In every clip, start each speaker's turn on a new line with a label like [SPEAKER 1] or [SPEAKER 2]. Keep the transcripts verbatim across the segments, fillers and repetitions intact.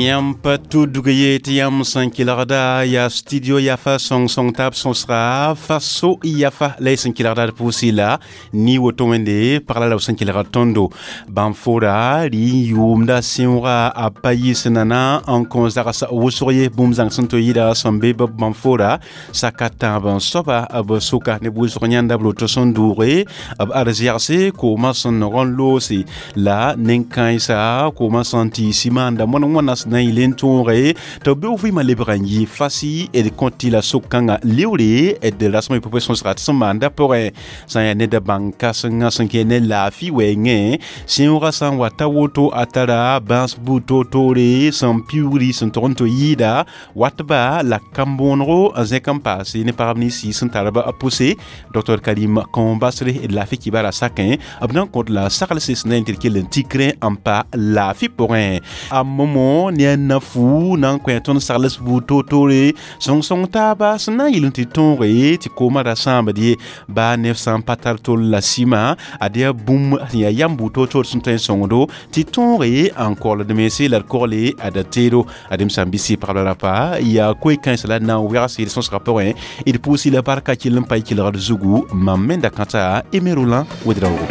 [SPEAKER 1] Yãmb pa tudg ye tɩ yãmb sẽn kelgda yaa studio yafa sõng-sõng taab sõsga faso yafa la y sẽn kelgda d pʋʋsɩ la ni woto wẽnde pagla la b sẽn kelgd tõndo bãn-fora rɩ n yʋʋmda sẽooga a pa yɩs nana n kõ zags wʋsg ye bũmb zãng sẽn to yɩɩda sẽn be b bãn-fora saka tãab n soaba b sʋka ne wʋsg yãnda b roto sẽn dʋʋge b arzɛgse koomã sẽn nog n loose la nen-kãensa koomã sẽn tɩ simaanda mõn wãna sẽn na n yɩl n tõoge tɩ b be vɩɩmã lebg n yɩ fasi d kõ tɩ la so-kãngã leoore d rasmã pʋpẽ sõsga tɩ sẽn maanda pʋgẽ sã n yaa ned bãng kãsenga sẽn kẽ ne laafɩ wɛɛngẽ sẽoogã sã n wa ta woto a tara bãas buud toor-toore sẽn piuugri sẽn tog n tɩ yɩɩda watba la kambõonego n zẽk n paase ne pagb ninsi sẽn tar b pʋse docteur Karim Kãombasre d laafɩ kibara sakẽ b na n kõt la saglse sẽn na n tɩ d kell n tikrẽ n pa laafɩ pʋgẽ a momo ne a nafu na n kõ tõnd sagls buud toor-toore sõng-sõng taaba sẽn na n yɩl n tɩ tõoge tɩ koomã ra sãambd ye baa neb sã n pa tar tol la sɩma ad yaa bũmb sẽn yaa yam buud toor-toor sẽn tõe n sõngdo tɩ tõoge n kogld mense la d kogle ad teedo adem sã n bɩ pagb la rapa yaa koe-kãensã la d na n wegse d sõsgã pʋgẽ d pʋʋsɩ la barka kell n pa y kelgd zugu mam me da kãta Aimé Roland Ouédraogo.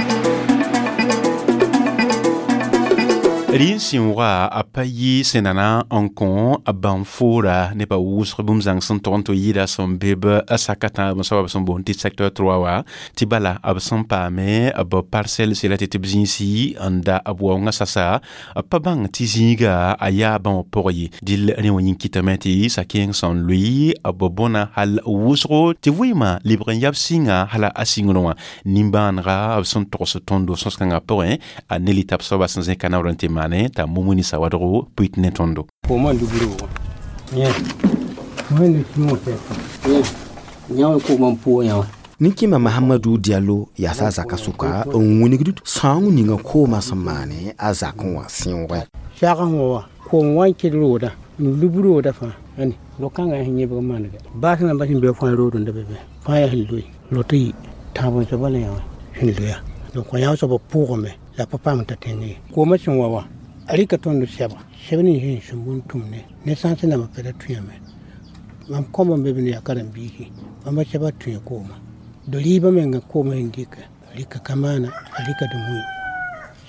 [SPEAKER 1] Rɩ n sẽooga a pa yɩ sẽn nana n kõ a bãn-foora nebã wʋsg bũmb zãng sẽn tog n tɩ yɩɩda sẽn be b saka tãab n soaba b sẽn boond tɩ secteur trois wa tɩ bala b sẽn paame b parcelle sela tɩ tɩ b zĩisi n da b waoongã sasa pa bãng tɩ zĩiga a yaa bãmb pʋg ye dɩl rẽ wã yĩng kɩtame tɩ sa-kẽeng sẽn loɩ b bõna hal wʋsgo tɩ vɩɩmã lebg n yab sɩnga hala a sɩngrẽ wã nimbãanega b sẽn togs tõndo sõs-kãngã pʋgẽ a ne lita b soaba sẽn zẽka naoor n tɩ maane t'a mumuni sawadgo pʋɩt ne tõndo.
[SPEAKER 2] Koomã lubr wã wẽnd sũur yã koomã n pʋʋg yã wã.
[SPEAKER 3] Ninkima Mahamadou Diallo yaasa a zaka sʋka n wilgd sãoong ninga koomã sẽn maane a zakẽ wã sẽoogẽ.
[SPEAKER 2] Sags wã wa koom wa n kɩd rooda n lub rooda fãa ãne ro-kãngã sẽn yẽbg manega baas nambã sẽn be fãa rood n da be be fãa yaa sẽn loe rot n yi tãab n soaba la yã wã sẽn loya donc yã soaba pʋʋgame la pa paam t'a tẽng ye koomã sẽn wa wã a rɩka tõnd sɛba sɛb ning sẽn sũmb n tʋmne ne sãns nambã pa ra tũyame mam kõma n be b ne yaa karen-biisi bãmba sɛba tũya kooma do rɩɩbã menga koomã sẽn dɩka rɩka kamaana a rɩka dũmui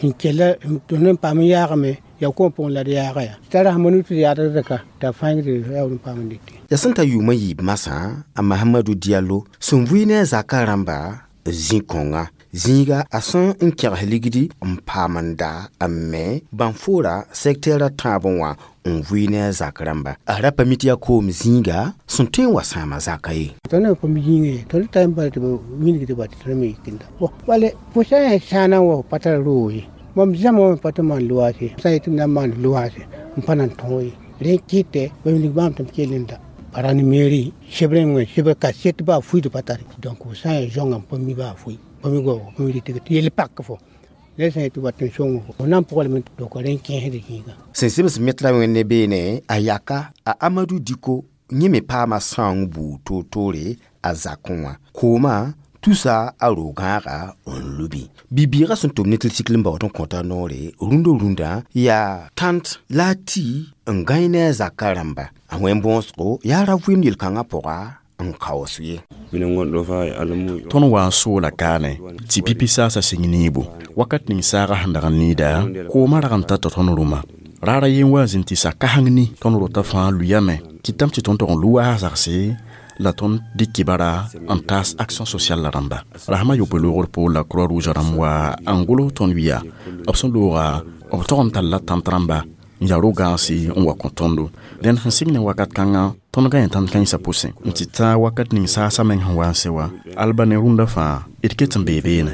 [SPEAKER 2] sẽn kella tõnd n paam n yaagame yaa koom pʋgẽ la d yaaga yaa t'a rasma nu tɩ d yaadg reka t'a fãeng tɩ yaool n paam n dɩte.
[SPEAKER 3] Ya sẽn ta yʋʋmã yiib masã a Mahamadou Diallo sẽn vʋɩ ne a zakã rãmba zĩ-kõnga zĩiga a sẽn n kẽgs ligdi n paam n da n me bãn-foora secteur a tãabẽ wã n vʋɩ ne a zak rãmba a ra pa mi tɩ yaa koom zĩiga sẽn tõe n wa sãama zaka ye.
[SPEAKER 2] Tõnd n pa mi zĩigã ye tõnd ta n bala tɩ b wilgd ba tɩ tõnd me yikenda bõ bale fo sã n yaa sãana n wa fo pa tar roog ye mam zãma wã pa tɩ maan loaase sã n yetɩ m na n maan loaase n pa na n tõog ye rẽ kɩtɛ ba wilg bãmb tɩ m kell n da pa ra ne mairie sebr n wẽ sebr kaset baa fuiid pa tare donc fo sã n yaa zãongã n pa mi baa fui pa mi goa pa mi rɩtg tɩ yell pak fo ne sã n yetɩ wat n sõng fo fo na n pʋglame donc rẽ n kẽesd zĩiga.
[SPEAKER 3] Sẽn sɩbs metra wẽnd ne beene a yaka a Amadou Diko yẽ me paama sãoong buud toor-toore a zakẽ wã koomã tusa a ro-gãaga n lubi bi-bɩɩgã sẽn tʋm ne tɩl-sikl n baood n kõta noore rũndã rũndã yaa tãnt la a tɩ n gãe ne a zakã rãmba a wẽn-bõosgo yaa ra vɩɩmd yel-kãngã pʋga n kaoos ye.
[SPEAKER 4] Tõnd wa n soola kaane tɩ pipi saasa sɩng neebo wakat ning saaga sẽn dag n needa koomã rag n ta tɩ tõnd rʋma raara yen wa n zĩnd tɩ sa kaseng ni tõnd rota fãa luyame tɩ tame tɩ tõnd tog n lu waas zagse la tõnd dɩk kibara n taas action sociale la rãmba rasmã yopoe loogr poor la croix rouge rãmb wa n gʋls tõnd wɩa b sẽn looga b tog n talla tãnt rãmba n yaa ro-gãagse n wa kõ tõndo dẽnd sẽn sɩng ne wakat kãngã tõnd gã yẽ tãnt kãensã pʋsẽ n tɩ tã wakat ning saasã meng sẽn wa n se wã alba ne rũndã fãa d ket n bee beene.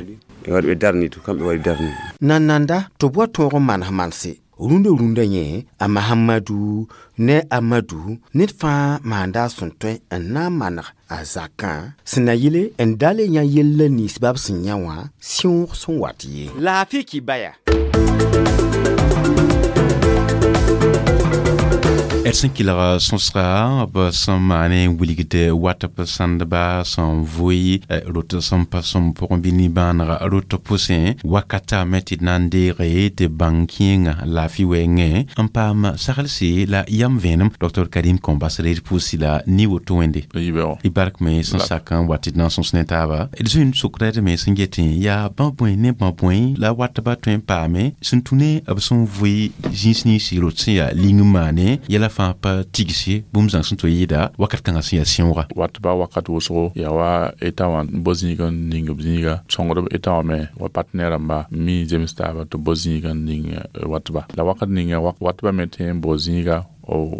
[SPEAKER 3] Nananda tɩ b wa tõog n manes manse rũndã rũndã yẽ a Mahamadou ne Amadou ned fãa maanda a sẽn tõe n na n maneg a zakã sẽn na yɩle n dal n yã yella nins bab sẽn yã wã sẽoog sẽn wat ye. Laafɩ kibaya.
[SPEAKER 1] D sẽn kelg sõsga b sẽn maane n wilgd wat b sãndba sẽn vʋɩ rot sẽn pa sõm pʋgẽ bɩ nimbãanega rot pʋsẽ wakata me tɩ d na n deege tɩ bãng kẽengã laafɩ wɛɛngẽ n paam saglse la yam vẽenem Doctor Karim Kõmbas reed pʋʋsi la ni woto wẽnde y bark me sẽn sak n wa tɩ d na n sõs ne taaba d zoe n sokda d me sẽn getẽ yaa bã bõe ne bã bõe la watba tõe n paame sẽn tũ ne b sẽn vʋɩ zĩis ninsi rot sẽn yaa ling n maane yɛla fãa pa tigse bũmb zãng sẽn to yɩɩda wakat kãngã sẽn yaa sẽooga
[SPEAKER 5] watba wakat wʋsgo yaa wa eta wã n bo zĩig n ning b zĩiga sõngdb eta wã me wa partenaire rãmba mi zems taaba tɩ bo zĩiga n ning watba la wakat ninga watba me tõe n bo zĩiga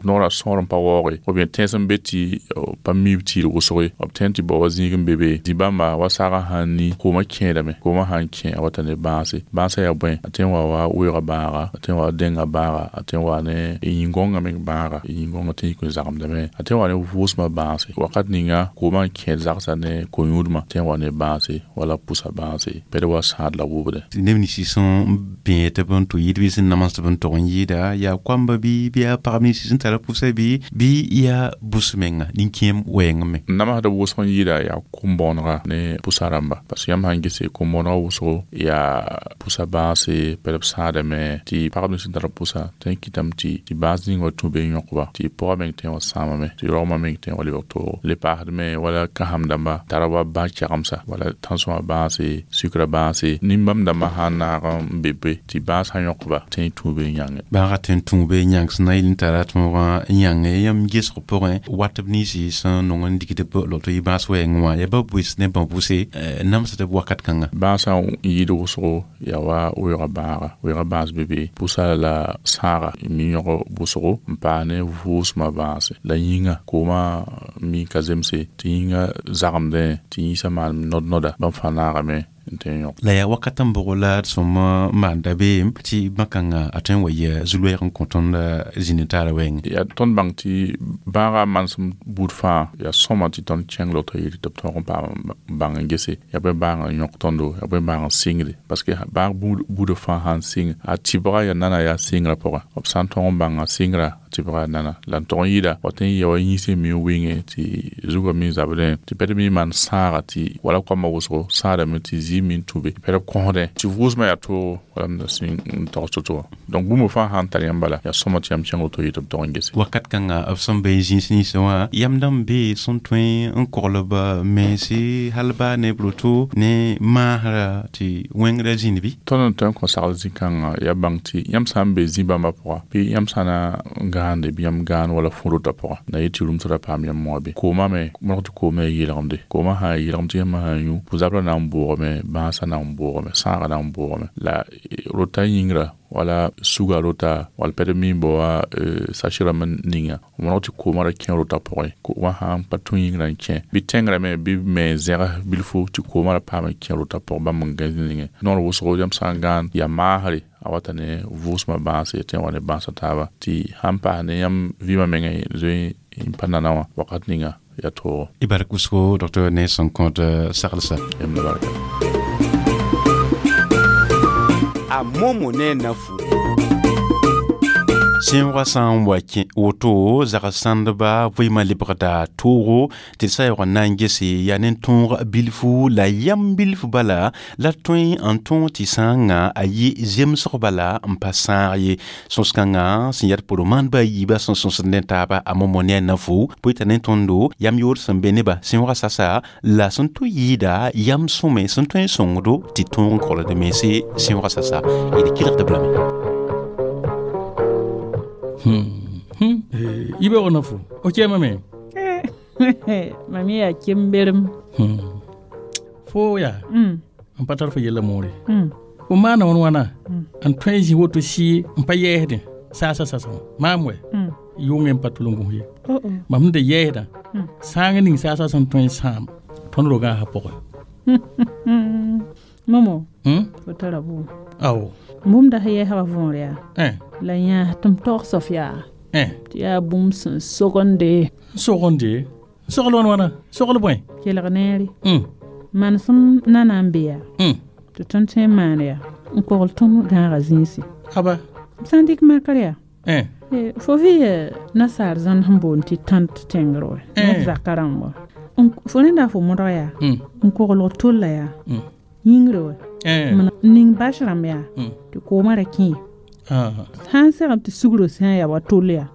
[SPEAKER 5] noorã sõor n pa waooge ou bien tẽns n be tɩ pa miib tɩɩr wʋsge b tõe tɩ bao wa zĩig n be be zĩ-bãmba wa saagã sãn ni koomã kẽedame koomã sãn kẽ a wata ne bãase bãasã yaa bõe a tõe n wa wa weoogã bãaga a tõe n wa dẽngã bãaga a tõe n wa ne yĩn-gõngã meng bãaga yĩn-gõngã tõe n yik n zagemdame a tõe n wa ne vʋʋsmã bãase wakat ninga koomã n kẽed zagsã ne ko-yũudmã tõe n wa ne bãase wala pʋsa bãase pɛd wa sãad la wʋbde
[SPEAKER 1] neb nins sẽn bẽe tɩ b n tʋ yɩɩd bɩ sẽn namsd b n tog n yɩɩda yaa koamba bɩ bɩ yaa pagb nins sẽn tara pʋsa bɩ bɩ yaa bʋs menga nin-kẽem wɛɛng me
[SPEAKER 5] namsd wʋsg n yɩɩda yaa kom-bõonega ne pʋsa rãmba parce que yãmb sãn gese kom-bõonega wʋsgo yaa pʋsa bãase pɛd b sãadame tɩ pagb nins sẽn tar pʋsa tõe n kɩtame tɩ tɩ bãas ning wa tũ be n yõkba tɩ pʋga meng tõe n wa sãamame tɩ rogmã meng tõe n wa lebg toogo le paasd me wala kãsem dãmba tara wa bã kɛgemsa wala tãnsõma bãase sukra bãase nin-bãmb dãmbã sãn naag n be be tɩ bãas sã yõkba tõe n tũ be n yãnge
[SPEAKER 1] bãaga tõe n tũ be n yãng sẽn na yɩl n tara tõogã n yãnge yãmb gesg pʋgẽ wat b ninsi sẽn nong n digd b loto yɩ bãas wɛɛngẽ wã yaa ba bʋs ne bã bʋse namsd b wakat kãnga
[SPEAKER 5] bãasã n yɩɩd wʋsgo yaa wa weoogã bãaga weoogã bãas be be pʋsa la sãaga mi yõg wʋsgo n paas ne vʋʋsmã bãase la yĩnga koomã mi ka zemse tɩ yĩnga zagemdẽ tɩ yĩnsã maan nod-noda bãmb fãa naagame n tõe n yõk
[SPEAKER 1] la yaa wakat n bʋg la d sõm maan dabeem tɩ bã-kãngã a tõe n wa yɩ zu-loɛɛg n kõ tõnd zĩnd taara wɛɛngẽ
[SPEAKER 5] yaa tõnd bãng tɩ bãagã manesem buud fãa yaa sõma tɩ tõnd kẽng loto yɩɩd tɩ b tõog n paam bãng n gese yaa bõe bãag n yõk tõndo yaa bõe bãag n sɩngde parce que bãag buudã fãa sãn sɩng a tɩbga yaa nana yaa sɩngrã pʋgã b sã n tõog n bãnga sɩngrã tɩbga nana la n tog n yɩɩda wa tõe n ya wa yĩnsẽ mi n wɩnge tɩ zugã mi zabdẽ tɩ pɛd mi maan sãaga tɩ wala koamã wʋsgo sãadame tɩ zɩ mi n tũ be pɛd b kõsdẽ tɩ vʋʋsmã yaa toogo wala m da sẽn n tog to-to wã donc bũmb fãa sãn tar yãmb bala yaa sõma tɩ yãmb kẽng woto yɩ tɩ b tog n gese
[SPEAKER 1] wakat kãnga b sẽn be zĩis ninsẽ wã yam dãmb be sẽn tõe n koglb mense hal baa ne b roto ne maasra tɩ wẽngrã zĩnd bɩ
[SPEAKER 5] tõnd n tõe n kõ sagl zĩ-kãngã yaa bãng tɩ yãmb sã n be zĩ-bãmbã pʋga bɩ yãmb sã na n gãande bɩ yãmb gãan wala fũ rotã pʋga na yɩ tɩ rũmsdã paam yãmb wã be koomã me mõrg tɩ koomã yaa yeelgemde koomã sã yaa yeelgem tɩ yãmb sã n yũ pʋ-zabrã na n bʋʋgame bãasã na n bʋʋgame sãagã na n bʋʋgame la rota yĩngrã wala suga rota wala pɛd mi n bao wa sache rãmb ninga mõrg tɩ koomã ra kẽ rota pʋgẽ koomã sãn pa tũ yĩngrã n kẽ bɩ tẽngrã me bɩ me zẽgs bilfu tɩ koomã ra paam n kẽ rota pʋgẽ bãmb n gãs ningẽ noor wʋsgo yãmb sã n gãan yaa maasre a wata ne vʋʋsmã bãase tõe n wa ne bãasã taaba tɩ sãn paas ne yãmb vɩɩmã mengã zoe n pa nana wã wakat ninga yaa toogo
[SPEAKER 1] y bark wʋsgo docteur ne sẽn kõt saglsa
[SPEAKER 5] yãmb la barka
[SPEAKER 3] a momo ne nafu
[SPEAKER 1] sẽoogã sã n wa kẽ woto zag sãndba vɩɩmã lebgda toogo tɩ d sã yaoog n na n gese yaa ne tõog bilfu la yam bilf bala la tõe n tõog tɩ sãangã a yɩ zemsg bala n pa sãag ye sõs-kãngã sẽn yaa d pʋrg-maandbã a yiibã sẽn sõsd ne taaba a momo ne a nafu bʋɩ t'a ne tõndo yam yoor sẽn be nebã sẽoogã sasa la sẽn tʋ yɩɩda yam sõme sẽn tõe n sõngdo tɩ tõog n kolgd mense sẽoogã sasa d kelgd b lame
[SPEAKER 6] Hmm. Hmm. Ibe ona fo. O kema me.
[SPEAKER 7] Mami ya kemberem.
[SPEAKER 6] Hmm. Fo ya.
[SPEAKER 7] Mm.
[SPEAKER 6] N pa tar fo yella moore.
[SPEAKER 7] Mm.
[SPEAKER 6] Fo maana wãn wãna n tõe n zĩ woto sɩ n pa yɛɛsdẽ saasa sasa wã maam wɛ
[SPEAKER 7] Mm.
[SPEAKER 6] yʋngẽ n pa tʋleng ye
[SPEAKER 7] Oh oh.
[SPEAKER 6] mam sẽn da yɛɛsdã
[SPEAKER 7] Mm.
[SPEAKER 6] sãang ning saasa sẽn tõe n sãam tõnd rogã sã pʋgẽ
[SPEAKER 7] Mm. Momo,
[SPEAKER 6] Hmm?
[SPEAKER 7] fo tara bʋʋm.
[SPEAKER 6] Ao.
[SPEAKER 7] Bũmb da sẽn yɛɛsã võor yaa.
[SPEAKER 6] Eh.
[SPEAKER 7] La yã tɩ m tog sof yaa.
[SPEAKER 6] Eh.
[SPEAKER 7] Tɩ yaa bũmb sẽn sogende.
[SPEAKER 6] N sogende sogl wãn wãna sogl bõe
[SPEAKER 7] Kelg neere.
[SPEAKER 6] Mm.
[SPEAKER 7] Manesem nana n be yaa.
[SPEAKER 6] Mm.
[SPEAKER 7] Tɩ tõnd tõe n maan yaa. N kogl tõnd gãagã zĩisi.
[SPEAKER 6] Aba.
[SPEAKER 7] B sã n dɩk makr yaa.
[SPEAKER 6] Eh.
[SPEAKER 7] Fo vɩ nasaar zãn sẽn boond tɩ tãnt tẽngr wɛ ned zakã rãmb wa fo rẽnda fo modg yaa n koglg tolla yaa yĩngre wɛ n ning bas rãmb yaa tɩ koomã ra kẽ sã n segem tɩ sugro sã n yaa wa tol yaa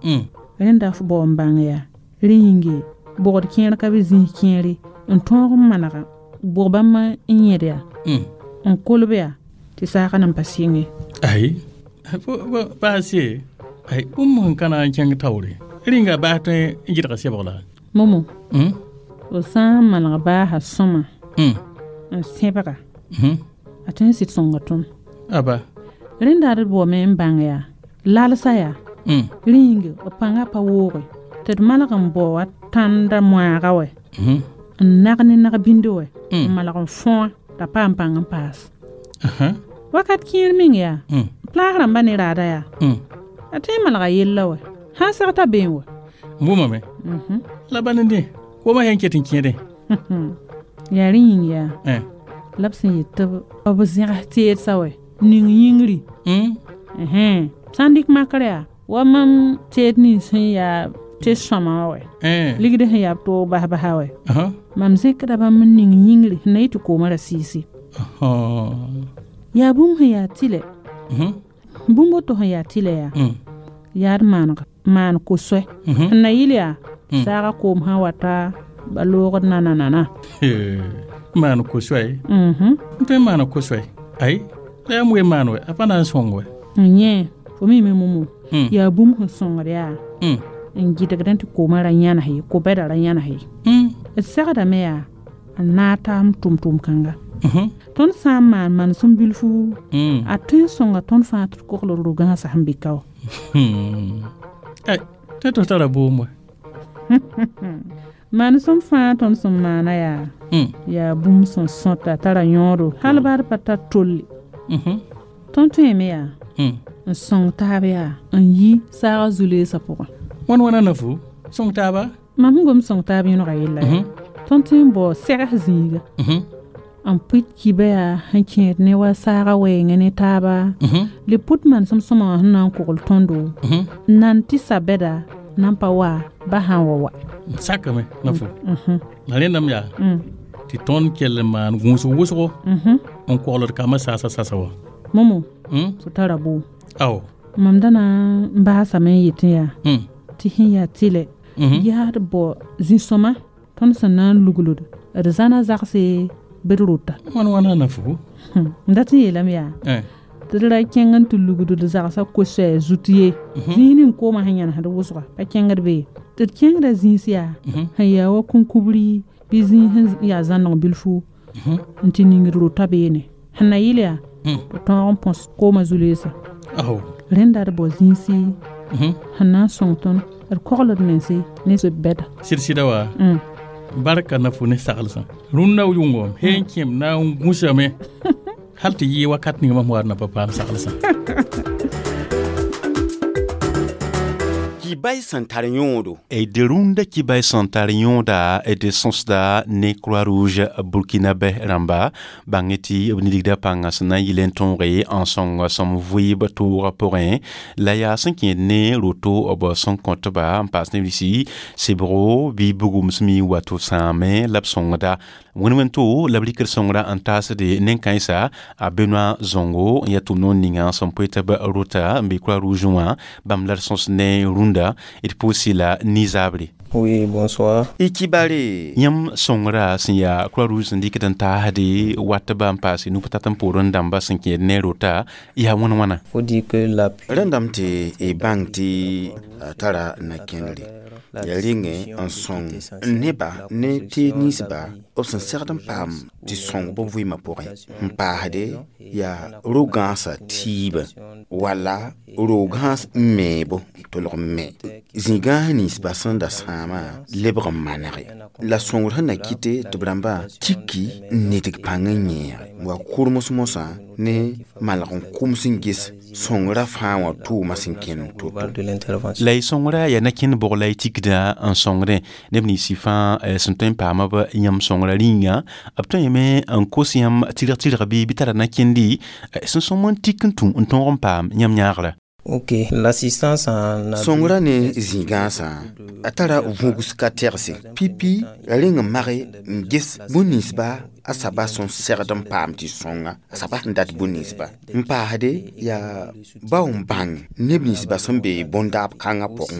[SPEAKER 7] rẽnda f bao n bãng yaa rẽ yĩnge bogd kẽer ka be zĩis kẽere n tõog n manega bʋg bãmb n yẽd yaa n kolb yaa tɩ saagã nan pa sɩnge
[SPEAKER 6] ai baase ai bũmb sẽn ka na n kẽng taoore rĩnga baas tõe n gɩdga sebg la
[SPEAKER 7] momo f sã n maneg baasa sõma n sẽbga a tõe n sɩd sõnga tõnd
[SPEAKER 6] aba
[SPEAKER 7] rẽnda d baoome n bãng yaa lalsa yaa rẽ yĩnge b pãngã pa wooge tɩ d maneg n bao wa tãnda moaaga wɛ n nag ne nag-bĩndi wɛ n malg n fõa t'a paam pãng n paas wakat kẽer meng yaa plaas rãmbã ne raada yaa a tõe n malga yella wɛ sã n seg t'a beẽ wɛ
[SPEAKER 6] n bʋmame la bal n dẽ koomã yãn ket n kẽedẽ
[SPEAKER 7] yaa rẽ yĩng yaa la b sẽn yet tɩ b zẽgs teedsa wɛ ning yĩngri sã n dɩk makr yaa wa mam teed nins sẽn yaa tɩ sõma wɛ ligd sẽn yaa b toog bas basa wɛ mam zẽkda bãmb n ning yĩngri sẽn na yɩ tɩ koomã ra sɩɩse yaa bũmb sẽn yaa tɩlɛ bũmb woto sẽn yaa tɩlɛ yaa yaa d maaneg maan ko-soɛ sẽn na yɩl yaa saagã koom sã wata ba loogd nananana
[SPEAKER 6] maan ko-soɛ n tõe n maana ko-soɛ ay la yaa m maan wɛ a pa na n sõng wɛ
[SPEAKER 7] n yẽ fo mime momo yaa bũmb sẽn sõngd yaa n gɩdgdẽ tɩ koomã ra yãnes ye ko-bɛda ra yãnes ye d segdame yaa n naag taam tʋm-tʋm kãnga tõnd sã n maan manesem bilfu a tõe n sõnga tõnd fãa tɩ d kogl d ro-gãasã sẽn be ka wa
[SPEAKER 6] tɩ tɩ tara boom wɛ
[SPEAKER 7] manesem fãa tõnd sẽn maana yaa yaa bũmb sẽn sõta tara yõodo hal baad pa tar tolle tõnd tõeme yaa n sõng taab yaa n yi saagã zu-leesã pʋgẽ
[SPEAKER 6] wãn wãna na fu sõng taaba
[SPEAKER 7] mam sẽn gom sõng taab yõnega yella yaa tõnd tõe n bao segs zĩiga n pʋɩt kiba yaa sẽn kẽed ne wa saagã wɛɛngẽ ne taaba le pʋt manesem sõma wã sẽn na n kogl tõndo n nan tɩ sa-bɛda nan pa wa ba sã n wa wa
[SPEAKER 6] sakame na fu la rẽndame yaa tɩ tõnd kell n maan gũusg wʋsgo n kogl d kambã saasa sasa wa
[SPEAKER 7] momo fo tara boom
[SPEAKER 6] ao
[SPEAKER 7] mam da na n baasame n yetẽ yaa tɩ sẽn yaa tɩlɛ yaa d bao zĩ-sõma tõnd sẽn na n lugld d zãna zagse bɩ d rota
[SPEAKER 6] wãn wãna na fu
[SPEAKER 7] n dat n yeelame yaa tɩ d ra kẽng n tɩ lugd d zagsã ko-soɛɛ zut ye zĩis ning koomã sẽn yãnesd wʋsga pa kẽngd be tɩ d kẽngda zĩis yaa sẽn yaa wa kũnkubri bɩ zĩis sẽn yaa zãneg bilfu n tɩ ning d rota beene sẽn na yɩl yaa tɩ tõog n põs koomã zu-leesã rẽnda d bao zĩisi sẽn na n sõng tõnd d kogl d mense ne zoe-bɛda
[SPEAKER 6] sɩd-sɩda wa barka na fu ne saglsã rũnnã yʋngo sẽn kẽem na n gũsame hal tɩ yɩ wakat ning mam wa na pa paam saglsã
[SPEAKER 3] Kibay sẽn tar yõodo
[SPEAKER 1] d rũndã kibay sẽn tar yõoda d sõsda ne Croix Rouge burkinabɛ rãmba bãng tɩ b nidgda pãngã sẽn na n yɩl n tõoge n sõng sõm vɩɩb toogã pʋgẽ la yaa sẽn kẽed ne roto b sẽn kõtba n paas neb nisi sebgo bɩ bugum sẽn mi wato sãame la b sõngda wẽn-wẽn-to la b rɩkd sõngrã n taasde nen-kãensa a Benoit Zongo n yaa tʋm-noor ninga sẽn poe tɩ b rota n be Croix Rouge wã bãmb la d sõs ne rũndã d pʋʋsɩ la nizabre.
[SPEAKER 8] Oui, bonsoir.
[SPEAKER 3] Y kibare.
[SPEAKER 1] Yãmb sõngrã sẽn yaa Croix Rouge sẽn dɩkd n taasde watba n paase nub-tat n poorẽ dãmba sẽn kẽed ne rota yaa wãn wãna.
[SPEAKER 8] Faut dire que l'appui
[SPEAKER 3] rẽndame tɩ y bãng tɩ a tara na-kẽndre yaa rɩngẽ n sõng neba ne teed ninsba b sẽn segd n paam tɩ sõng b vɩɩmã pʋgẽ n paasde yaa ro-gãasã tiibã wala ro-gãas n meebo tolg n me zĩ-gãas ninsba sẽn da sãamã lebg n manege la sõngr sẽn na kɩte tɩ b rãmbã tiki n nidg pãng n yẽege wa kʋrms mosã ne malg n kʋms n ges sõngrã fãa wã tʋʋmã sẽn kẽnd toto
[SPEAKER 8] de l'intervention.
[SPEAKER 1] La y sõngrã yaa na-kẽnd bʋg la y tikda n sõngdẽ neb ninsi fãa sẽn tõe n paama b yãmb sõngrã rĩnga b tõe me n kos yãmb tɩrg-tɩrg bɩ bɩ tara na-kẽndi sẽn sõm n tik n tũ n tõog n paam yãmb yãagrã.
[SPEAKER 8] Ok, l'assistance en
[SPEAKER 3] Sõngrã ne zĩ-gãasã a tara vũugs ka tɛgse pipi reng n mage n ges bũn-ninsba a saba sẽn segd n paam tɩ sõnga a saba sẽn dat bũn-ninsba n paasde yaa bao n bãng neb ninsba sẽn be bõn-daab kãngã pʋgẽ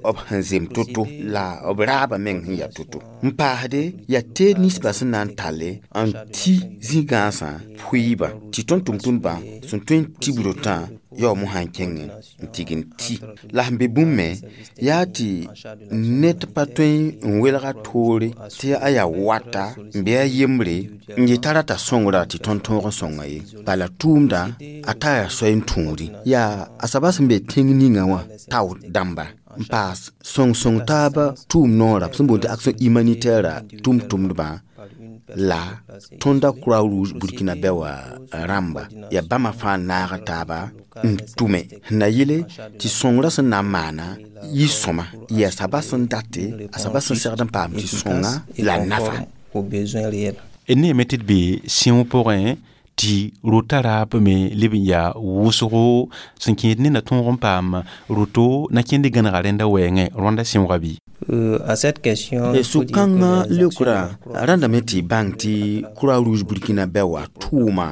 [SPEAKER 3] wã b sẽn zem to-to la b raabã meng sẽn yaa to-to n paasde yaa teed ninsba sẽn na n talle n ti zĩ-gãasã pʋɩɩbã tɩ tõnd tʋm-tʋmdbã sẽn tõe n tib rotã yaoom sã n kẽng n tig n ti la sẽn be bũmb me yaa tɩ ned pa tõe n welga toore tɩ a yaa wata n bɩ a yembre n yeta rata sõngra tɩ tõnd tõog n sõnga ye bala tʋʋmda a tara soay n tũudi yaa a soaba sẽn be tẽng ninga wã tao dãmba n paas sõng-sõng taaba tʋʋm noora b sẽn boond tɩ action humanitaire tʋm-tʋmdbã la tõnda croix rouge burkina bɛ wa rãmba yaa bãmba fãa naag taaba n tʋme sẽn na yele tɩ sõngrã sẽn na n maana yɩ sõma yaa saba sẽn date a saba sẽn segd n paam tɩ sõnga la nafa
[SPEAKER 1] ne me tɩ d be sĩoog pʋgẽ tɩ rota raab me leb n yaa wʋsgo sẽn kẽed nenda tõog n paam roto na kẽnd gãnega rẽnda wɛɛngẽ rõanda sẽooga bɩ
[SPEAKER 8] Euh, à cette question,
[SPEAKER 3] sũ-kãngã leokrã rãndame tɩ bãng tɩ croix rouge burkina bɛ wa tʋʋma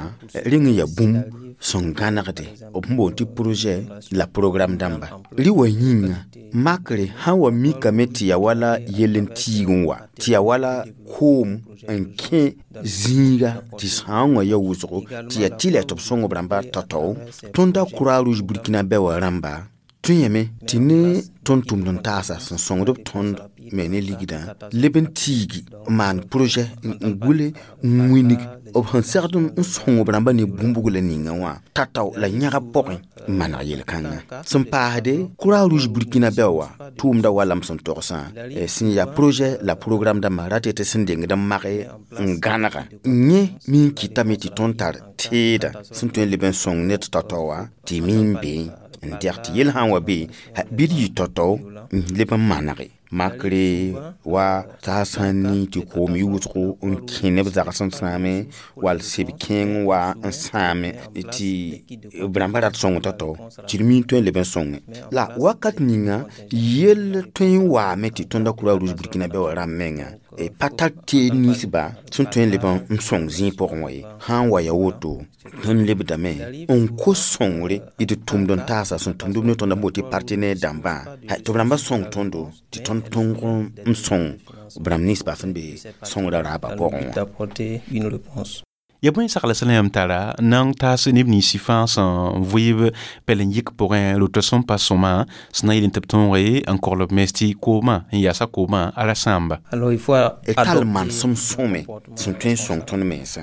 [SPEAKER 3] reng n yaa bũmb sẽn gãnegde b sẽn boond tɩ projet la programme dãmba rɩ wa yĩnga makre sã n wa mikame tɩ yaa wala yell n tiig n wa tɩ yaa wala koom n kẽ zĩiga tɩ sãoongã ya wʋsgo tɩ yaa tɩ la tɩ b sõng b rãmba tao-tao tõnda croix rouge burkina bɛ wa rãmba tõe yame tɩ ne tõnd tʋmd n taasa sẽn sõngd b tõnd me ne ligdã leb n tiigi n maan projet n gʋle n wĩnig b sẽn segd n sõng b rãmba ne bũmb-buglã ninga wã tatao la yãgb pʋgẽ n maneg yel-kãngã sẽn paasde croix rouge burkina bɛ wa tʋʋmda wala m sẽn togsã sẽn yaa projet la programme dãmbã ra tɩ tɩ sẽn dengd n mage n gãnega yẽ mi n kɩtame tɩ tõnd tar teeda sẽn tõe n leb n sõng ned tao-tao wã tɩ mi n be n dɛg tɩ yel sã n wa be bɩ d yɩ tao-tao n leb n manege makre wa t'a sã n ni tɩ koom yʋʋsgo n kẽ neb zags n sãame wall seb kẽeng wa n sãame tɩ b rãmba rat sõng tao-tao tɩ d mi n tõe n leb n sõnge la wakat ninga yell tõe n waame tɩ tõnda croix rouge burkina bɛ wa rãmb menga pa tar teed ninsba sẽn tõe n leb n sõng zĩig pʋgẽ wã ye sã n wa ya woto tõnd lebdame n kos sõngre d tʋmd n taasa sẽn tʋmd b ne tõnda n boond tɩ partenaire dãmbã tɩ b rãmba sõng tõndo tɩ tõnd tõng n sõng b rãmb ninsba sẽn be sõngrã raabã pʋgẽ wã
[SPEAKER 8] d'apporter une réponse.
[SPEAKER 1] Ya bõe sagla sẽn la yãmb tara na n taas neb ninsi fãa sẽn vɩɩb pɛl n yik pʋgẽ roto sẽn pa sõma sẽn na yeel tɩ b tõoge n kogl b mens tɩ koomã n yaasa koomã ala sãamba
[SPEAKER 8] Alors il faut
[SPEAKER 3] tal manesem sõme sẽn tõe n sõng tõnd mensã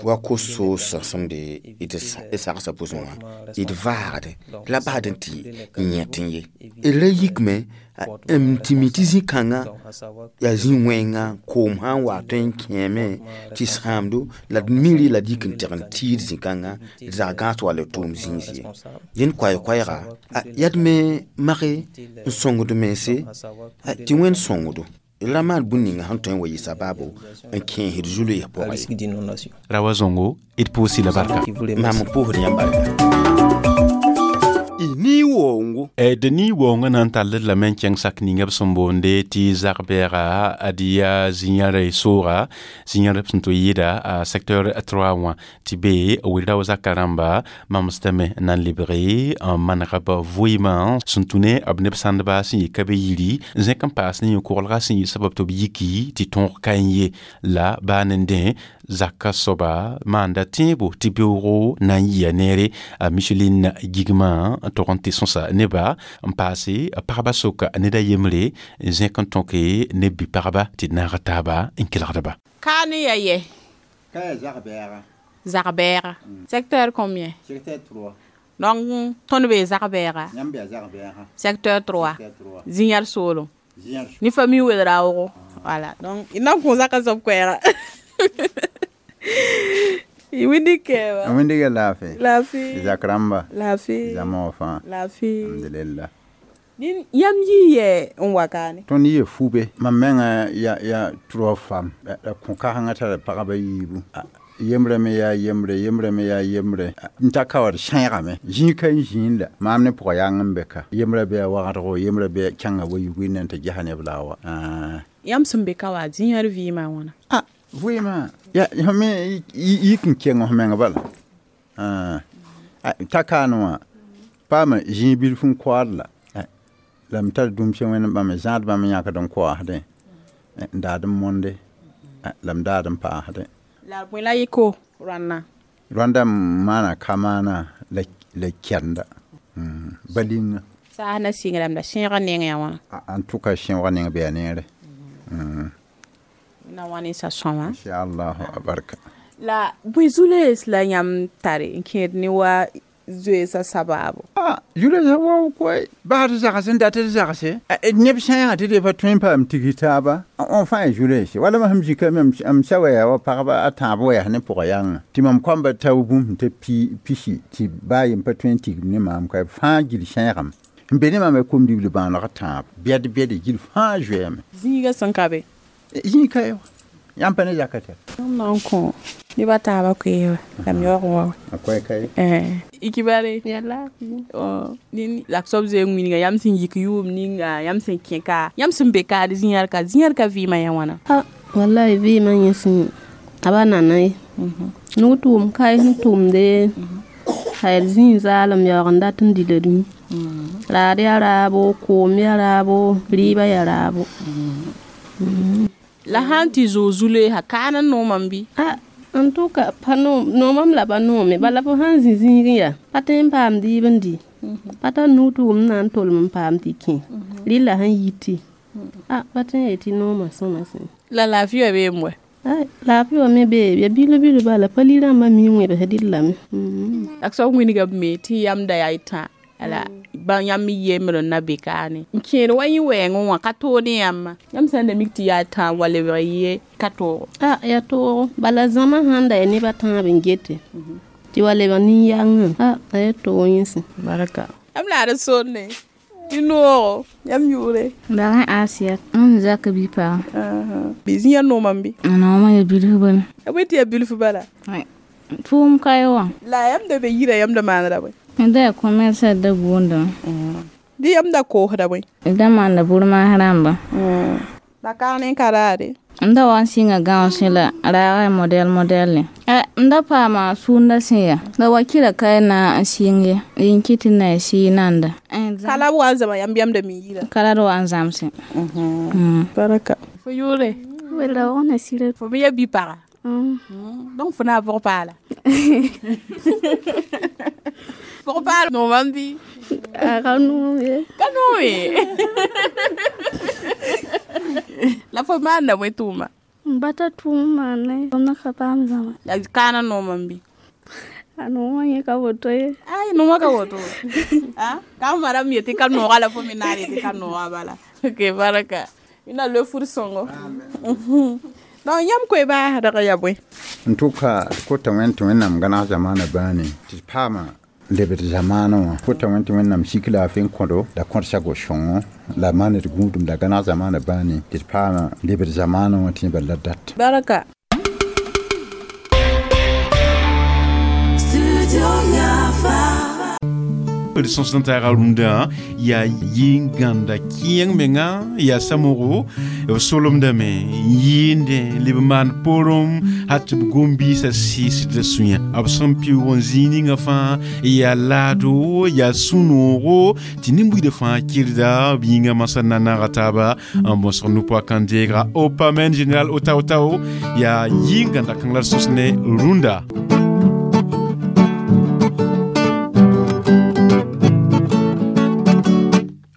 [SPEAKER 3] wa ko-soosã sẽn be d sagsã pʋsẽ wã d vaagde la basd n tɩ n yẽt n ye d ra yikme n tɩ mi tɩ zĩ-kãngã yaa zĩ-wẽnga koom sã n wa tõe n kẽeme tɩ sãamdo la d miri la d yik n teg n tiid zĩ-kãngã d zag gãas wall d tʋʋm zĩis ye dẽnd koɛɛ-koɛɛga yaa d me mage n sõngd mense tɩ wẽnd sõngdo ra maan bũn ninga sẽn tõe n wa yɩ sabaabo n kẽesd zu-loees pʋgã
[SPEAKER 8] risque d'inondation.
[SPEAKER 1] Ra wa zõngo d pʋʋsɩ la barka
[SPEAKER 3] mam n pʋʋsd yãmb barka ni woongo
[SPEAKER 1] d ni woongã na n tall d lame n kẽng sak ninga b sẽn boonde tɩ zag-bɛɛga ad yaa zĩ-yãre sooga zĩ-yãr sẽn tɩ yɩɩda a secteur trois wã tɩ be wilra wa zaka rãmba mamsdame na n lebge n manega b vɩɩmã sẽn tũ ne b neb sãndba sẽn yɩ ka be yiri n zẽk n paas ne yẽ-koglga sẽn yɩ sabab tɩ b yiki tɩ tõog ka n ye la baa ne dẽ zaka soaba maanda tẽebo tɩ beoogo na n yia neere a Micheline gigmã tog n tɩ sõsa neba n paase pagba soka ned a yembre n zẽk n tõke ne bi-pagba tɩ d naag taaba n kelgdba
[SPEAKER 9] Ka ne ya yɛ
[SPEAKER 10] Ka ya zagbɛɛga.
[SPEAKER 9] Zagbɛɛga. Secteur combien?
[SPEAKER 10] Secteur trois.
[SPEAKER 9] Donc tõnd bee zagbɛɛga.
[SPEAKER 10] Yãmb yaa zagbɛɛga.
[SPEAKER 9] Secteur trois.
[SPEAKER 10] Secteur trois.
[SPEAKER 9] Zĩ-yãr soolem.
[SPEAKER 10] Zĩ-yãr
[SPEAKER 9] Ni famille Ouédraogo. Voilà. Donc i na n kõ zaka soab koɛɛga. I wẽndi kɛɛba.
[SPEAKER 10] Wẽndiga laafɩ.
[SPEAKER 9] Laafɩ.
[SPEAKER 10] Zak rãmba.
[SPEAKER 9] Laafɩ.
[SPEAKER 10] Zãma fãa.
[SPEAKER 9] Laafɩ.
[SPEAKER 10] Alhamdulillah.
[SPEAKER 9] Nin yãmb yii yɛ n wa kaane.
[SPEAKER 10] Tõnd yɩ fube mam menga ya ya trois femmes la kõ-kãsengã tara pagba yiibu. Yembrã me yaa yembre yembrã me yaa yembre n ta ka wa d sẽegame zĩig ka n zĩnd la maam ne pʋga yang n be ka yembrã bɩ a wagdgo yembrã bɩ kẽnga wa yugẽ na n tɩ gesa neb la a wa.
[SPEAKER 9] Yãmb sẽn be ka wa zĩyãr vɩɩmã wãna?
[SPEAKER 10] A vɩɩmã ya f me yik n keng f meng bala ta kaane wã paama zĩig bilf n koaad la la m tar dũmsã wẽnd bãmb zãad bãmb yãkd n koaasdẽ n daad n monde la m daad n paasdẽ.
[SPEAKER 9] La bõe la yɩko rãnna?
[SPEAKER 10] Rãnda m maana ka-maana la kɛrenda balinga.
[SPEAKER 9] Saas na sɩngrame la sẽegã neng yaa wãna?
[SPEAKER 10] En tout cas sẽoogã neng bɩ a neere.
[SPEAKER 9] Na wa ne sa sõma.
[SPEAKER 10] Inshallah barka.
[SPEAKER 9] La bõe zu-loees la yãmb tare n kẽed ne wa zoeesã sabaabo?
[SPEAKER 10] Ah, zu-loeesã wao koe baasd zags n dat d zagse neb sẽegã tɩ d pa tõe n paam tigis taaba n fãa ya zu-loeese wala mam sẽm zĩka m sa wɛɛ wa pagba a tãab wɛɛs ne pʋga yãnga tɩ mam kõamba tao bũmb sẽn ta pisi tɩ baa yem pa tõe n tigim ne maam ka fãa gil sẽegame n be ne maam a kom-dibl bãaneg tãab bɛd bɛde gil fãa zoeeme.
[SPEAKER 9] Zĩigã sẽn ka be?
[SPEAKER 10] Zĩig ka ye wa yãmb pa ne zaka tɛr.
[SPEAKER 9] M na n kõ neb a taabã koeeba la m yaoog n wa.
[SPEAKER 10] A koɛ ka ye.
[SPEAKER 9] Ikibare la soab zoe wĩnga yãmb sẽn yik yʋʋm ninga yãmb sẽn kẽ ka yãmb sẽn be kaad zĩyãr ka zĩyãr ka vɩɩmã yaa wãna?
[SPEAKER 11] Wallahi vɩɩmã yẽ sẽn a ba nana ye nug tʋʋm kae sẽn tʋmde a d zĩig zaalem yaoog n dat n dila d yũ raad yaa raabo koom yaa raabo rɩɩbã yaa raabo.
[SPEAKER 9] La sãn tɩ zoog zu-loeesã kaana noomame bɩ?
[SPEAKER 11] En tout cas pa noomam la pa noome bala fo sãn zĩ zĩigẽ yaa pa tõe n paam dɩɩb n dɩ pa tar nug tʋʋm na n tolem n paam tɩ kẽ rɩla sẽn yiti a pa tõe n yetɩ noomã sõma sẽ.
[SPEAKER 9] La laafɩ wã beem wɛ?
[SPEAKER 11] Laafɩ wã me bee ya bil bil bala pa li-rãmbã mi n wẽbs dɩllame.
[SPEAKER 9] La soab wĩnga b me tɩ yãmb da yaa y tã ala ba yãmb me yembre n na be kaane n kẽed wa yẽ wɛɛngẽ wã ka toog ne yãmba yãmb sã n da mik tɩ yaa tã wa lebg ye ka toogo?
[SPEAKER 11] A yaa toogo bala zãma sãn da yaa neb a tãab n gete tɩ wa lebg nin-yangã a a yaa toog yẽsẽ.
[SPEAKER 9] Barka yãmb la d sonne tɩ noogo yãmb yʋʋre?
[SPEAKER 12] Barẽ Asiat n zak bi-pagã.
[SPEAKER 9] Bɩ zĩyã noomame bɩ?
[SPEAKER 12] Noomã yaa bilf bala.
[SPEAKER 9] A bõe tɩ yaa bilf bala?
[SPEAKER 12] Tʋʋm ka ye wã.
[SPEAKER 9] La yãmb da be yira yãmb da maanera bõe?
[SPEAKER 12] Da yaa commerce da boondã.
[SPEAKER 9] Dɩ yãmb da koosda bõe?
[SPEAKER 12] Da maanda bur-maas rãmba.
[SPEAKER 9] La kaane n ka raade?
[SPEAKER 12] M da wa n sɩnga gãosẽ la raagã yaa modɛl modɛlle. M da paama sũndã sẽn yaa la wakɩra ka na n sɩng ye n kɩt tɩ na y sɩɩ nanda.
[SPEAKER 9] Ka la b wa n zãma yãmb yãmb da mi yira?
[SPEAKER 12] Ka la d wa n zãmsẽ.
[SPEAKER 9] Baraka fo yʋʋre?
[SPEAKER 13] Wela sɩra.
[SPEAKER 9] Fo me yaa bi-paga? Donc fo na a pʋg paala? Pʋg paal noomame bɩ?
[SPEAKER 13] A ka noom ye.
[SPEAKER 9] Ka noom ye. La fo maanda bõe tʋʋma?
[SPEAKER 13] M bata tʋʋm maana ye m na ka paam zãma.
[SPEAKER 9] La kaana noomame bɩ?
[SPEAKER 13] A noomã yẽ ka woto ye.
[SPEAKER 9] Ay noomã ka woto. Ka m mara m yetɩ ka nooga la fo me naar yetɩ ka nooga bala. Ok baraka. Ina le fur sõngo. Donc yãmb koe baasdg yaa bõe?
[SPEAKER 10] En tout cas kota wẽnd tɩ wẽnnaam gãneg zamaana bãane tɩ d paama lebd zamaanã wã kota wẽnd tɩ wẽnnaam sik laafɩ n kõdo la kõdsa go-sõngo la maan d gũudum la gãneg zamaana bãane tɩ d paama lebd zamaanã wã tɩ yẽ bala la dat.
[SPEAKER 9] Baraka.
[SPEAKER 1] D sõs n taaga rũndã yaa yĩn-gãnda kẽeng menga yaa samoogo b solemdame n yɩɩndẽ leb n maan poorem hal tɩ b gom-biisã sɩɩsd la sũyã b sẽn pɩʋʋg n zĩig ninga fãa yaa laado yaa sũ-noogo tɩ nin-buiidã fãa kɩrda b yĩngã masã na naaga taaba n bõsg nu-poa kãn-deega opamen général otao-tao yaa yĩn-gãnda kãng la d sõs ne rũndã.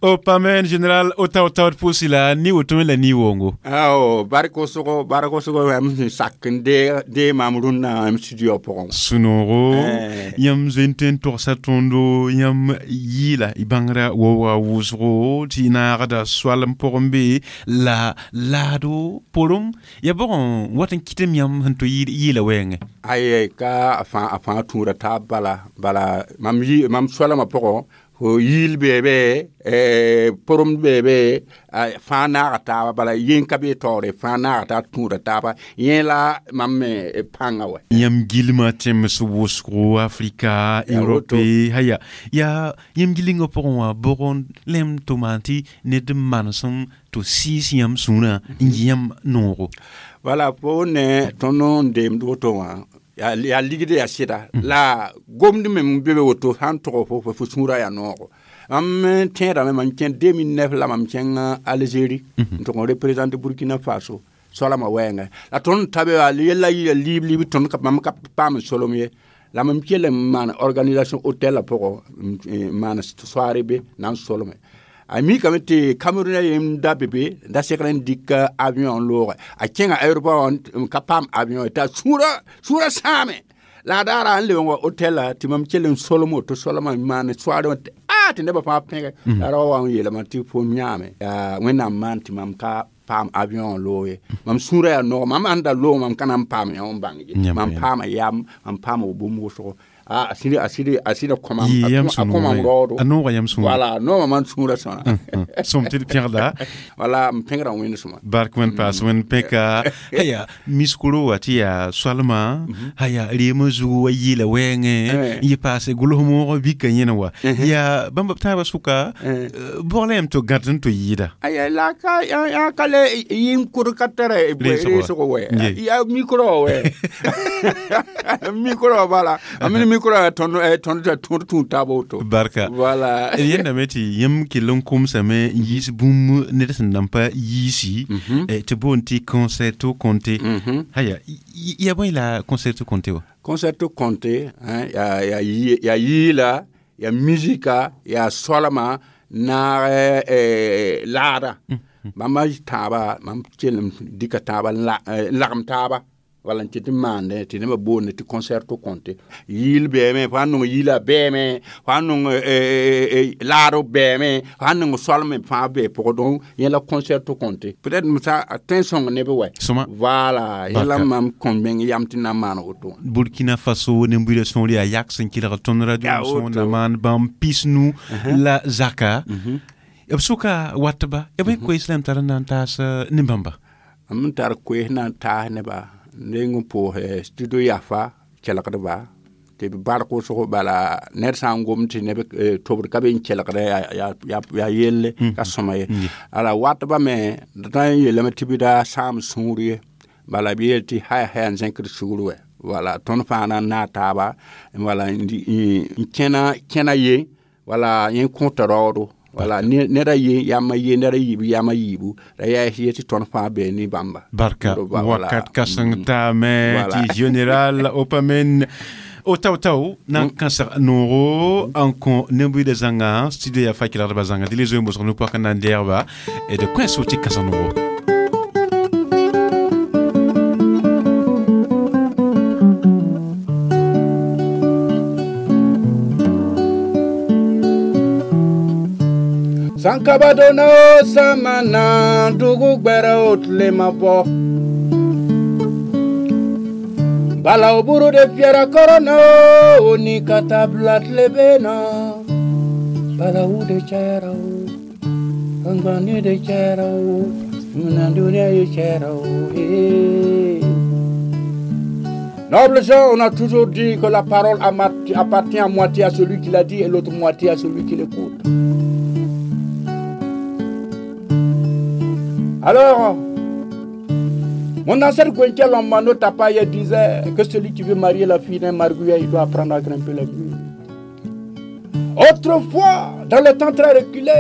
[SPEAKER 1] Opamen général otao-tao d pʋʋsi la ni woto me la ni wongo.
[SPEAKER 3] Ao barko sogo barko sogo yãmb sẽn sak n dee maam rũnnã m studio pʋgẽ.
[SPEAKER 1] Sũ-noogo yãmb zoe n tõe n togsa tõndo yãmb yɩɩla y bãngrã waooga wʋsgo tɩ y naagda soalem pʋgẽ be la laado porem yaa bʋgẽ wat n kɩtem yãmb sẽn to yɩɩla wɛɛngẽ.
[SPEAKER 3] Ay ka a fãa a fãa tũuda taab bala bala mam yi mam soalamã pʋgẽ
[SPEAKER 10] Fo yiil beebe, pʋremd beebe, fãa naaga taaba, bala yẽn ka be taoore, fãa naaga taab tũuda taaba, yẽ la mam me pãnga wɛ.
[SPEAKER 1] Yãmb gilmã tẽms wʋsgo Afrika, Europe, haya yaa yãmb gilengã pʋgẽ wã bʋg lem tɩ maan tɩ ned n manesem tɩ sɩɩs yãmb sũurã n yɩ yãmb noogo?
[SPEAKER 10] Wala fo ne tõnd n deemd woto wã yaa ligd yaa sɩda la gomd me n be be woto sã n tog fo fo sũurã yaa noogo. Mam tẽedame mam kẽ deux mille neuf la mam kẽng Algérie n tʋg n représente Burkina Faso soalmã wɛɛngã la tõnd ta be yella yɩ liib liib tõnd mam ka paam n solem ye la mam kell n maan organisation hôtel la pʋgẽ n maan soaare be na n solme. A mikame tɩ Cameroun yem da be be da segr n dɩk avion n looge a kẽnga aéroport n ka paam avion t'a sũurã sũurã sãame la a daara n lebg wa hôtel la tɩ mam kell n solem woto solmã n maan soaare wã a tɩ nebã fãa pẽge la ra wa n yeelame tɩ fo yãame yaa Wẽnnaam maan tɩ mam ka paam avion n loog ye mam sũurã yaa noog mam sẽn da loog mam ka na n paam yã n bãng ye mam paama yam mam paama bũmb wʋsgo. Ah, a sɩd a sɩd a sɩd kõ a kõ mam raoodo.
[SPEAKER 1] A noogã yãmb sũurã.
[SPEAKER 10] Wala noogã mam sũurã sõna.
[SPEAKER 1] Sõm tɩ d pẽgda.
[SPEAKER 10] Wala m pẽgra Wẽnd sõma.
[SPEAKER 1] Bark Wẽnd paas Wẽnd pẽka. Haya miskoro wa tɩ yaa soalmã haya reemã zugu wa yɩɩla wɛɛngẽ n yɩ paase gʋls moogã bika yẽne wa yaa bãmb b tãabã sʋka bʋg la yãmb tɩ gãd n tɩ yɩɩda.
[SPEAKER 10] Aya la ka yaa ka le yɩ n kʋd ka tara reesgo wɛ yaa micro wɛ micro bala a mini micro tõnd tõnd tõnd tũud taab woto.
[SPEAKER 1] Barka.
[SPEAKER 10] Voilà.
[SPEAKER 1] Yẽndame tɩ yãmb kell n kʋmsame n yiis bũmb ned sẽn nan pa yiisi tɩ boond tɩ concerto conté. Haya yaa bõe la concerto conté wã?
[SPEAKER 10] Concerto conté yaa yiila yaa musika yaa soalma naag laada bãmba tãabã mam kell n dɩka tãabã n lagem taaba wala n tɩ tɩ maande tɩ nebã boonde tɩ concerto conté yiil bɛɛme fo sã n nong yiilã bɛɛme fo sã n nong laado bɛɛme fo sã n nong soalme fãa bee pʋgẽ donc yẽ la concerto conté peut-être m sã a tõe n sõng neb wɛ. Voilà yẽ la mam kõ meng yam tɩ na n maan woto.
[SPEAKER 1] Burkina Faso nem-buidã sõor yaa yak sẽn kelg tõnd radio sõor na maan bãmb pisnu la zaka b sʋka watba b koees la m tar n na n taas ne-bãmba.
[SPEAKER 10] M tar koees na n taas neba reng n pʋʋs studio Yafa kelgdba tɩ b bark wʋsg bala ned sã n gom tɩ neb tobd ka be n kelgda yaa yelle ka sõma ye ala watba me d na n yeelame tɩ bɩ da sãam sũur ye bala b yeel tɩ haya haya n zẽkd sugr wɛ wala tõnd fãa na n naag taaba wala n kẽna kẽna ye wala yẽ kõta raoodo wala ned a ye yam a ye ned a yiibu yam a yiibu ra yaa yetɩ tõnd fãa bee ne bãmba.
[SPEAKER 1] Barka wakat kãseng taame tɩ général Opamen o tao-tao na n kãsg noogo n kõ nem-buidã zãnga studio yaa fa kelgdbã zãnga dɩ le zoe n bʋsg nu-poak n na n deegba d kõ so tɩ kãsg noogo.
[SPEAKER 10] Sankabadona o samana dugu gbɛrɛ o tile ma bɔ balaw buru de fiyɛra kɔrɔn na o ni ka taa bila tile bɛ na balawu de cayara o ngani de cayara o minanduniya ye cayara o ee. Noble gens, on a toujours dit que la parole appartient à moitié à celui qui l'a dit et l'autre moitié à celui qui l'écoute. Alors, mon ancêtre Gwenkia Lambano Tapaye disait que celui qui veut marier la fille d'un margouillat, il doit apprendre à grimper les murs. Autrefois, dans le temps très reculé,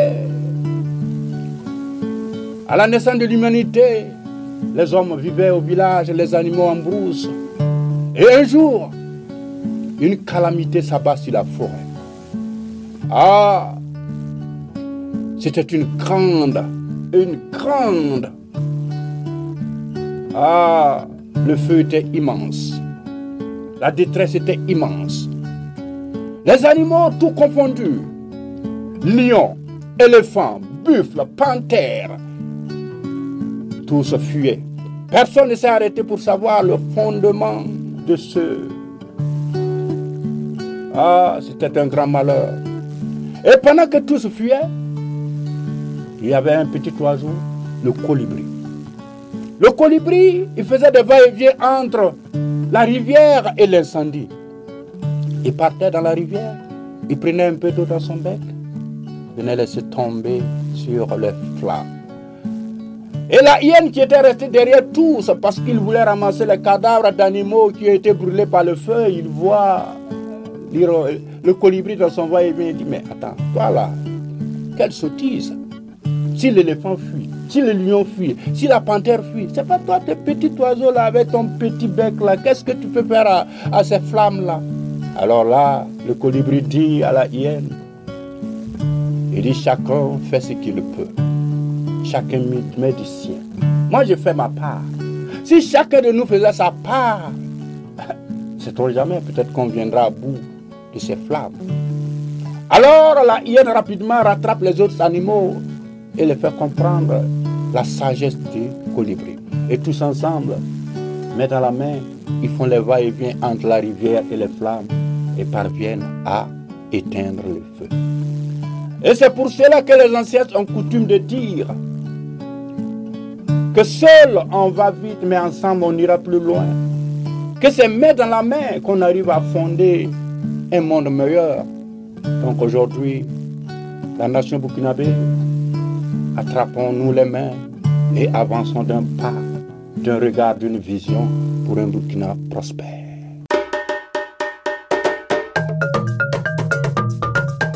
[SPEAKER 10] à la naissance de l'humanité, les hommes vivaient au village, les animaux en brousse. Et un jour, une calamité s'abat sur la forêt. Ah, c'était une grande, une grande. Ah, le feu était immense. La détresse était immense. Les animaux tout confondus, lions, éléphants, buffles, panthères, tous fuyaient. Personne ne s'est arrêté pour savoir le fondement de ce. Ah, c'était un grand malheur.
[SPEAKER 14] Et pendant que tous fuyaient, il y avait un petit oiseau, le colibri. Le colibri, il faisait des va-et-vient entre la rivière et l'incendie. Il partait dans la rivière, il prenait un peu d'eau dans son bec, venait laisser tomber sur les flammes. Et la hyène qui était restée derrière tous parce qu'il voulait ramasser les cadavres d'animaux qui étaient brûlés par le feu, il voit le colibri dans son va-et-vient, il dit, mais attends, toi là, quelle sottise! Si l'éléphant fuit, si le lion fuit, si la panthère fuit, c'est pas toi, tes petits oiseaux là, avec ton petit bec là, qu'est-ce que tu peux faire à, à ces flammes là? Alors là, le colibri dit à la hyène, il dit, chacun fait ce qu'il peut. Chacun met du sien. Moi, je fais ma part. Si chacun de nous faisait sa part, c'est trop jamais, peut-être qu'on viendra à bout de ces flammes. Alors la hyène rapidement rattrape les autres animaux et les fait comprendre la sagesse du colibri. Et tous ensemble, main dans la main, ils font les va-et-vient entre la rivière et les flammes et parviennent à éteindre le feu. Et c'est pour cela que les ancêtres ont coutume de dire que seul on va vite, mais ensemble on ira plus loin. Que c'est main dans la main qu'on arrive à fonder un monde meilleur. Donc aujourd'hui, la nation burkinabé, attrapons-nous les mains et avançons d'un pas, d'un regard, d'une vision pour un Burkina prospère.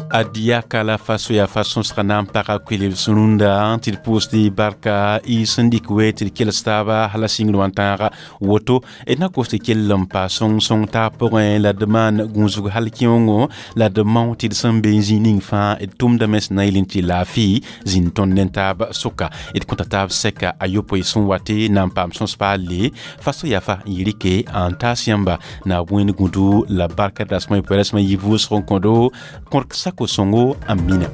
[SPEAKER 1] Adiaka la faso ya fason sẽn na n pag koelb rũndã tɩ d pʋʋsd barka y sẽn dɩk we tɩ d kels taaba hala sĩngr wã n tãaga woto d na kos tɩ kell n pa sõng-sõng taab pʋgẽ la d maan gũusg hal kẽongo la d mao tɩ d sẽn be n zĩ ning fãa d tʋmdame sẽn na n yel n tɩ laafɩ zĩnd tõnd ne taab sʋka d kõta taab sɛka a yopoe sẽn wate na n paam sõs paale faso yafa n yɩ rɩke n taas yãmba na wẽnd gũdu la barka dasmã y poɛrasmã yi vʋʋsg n kõdo kõr sako songo amina.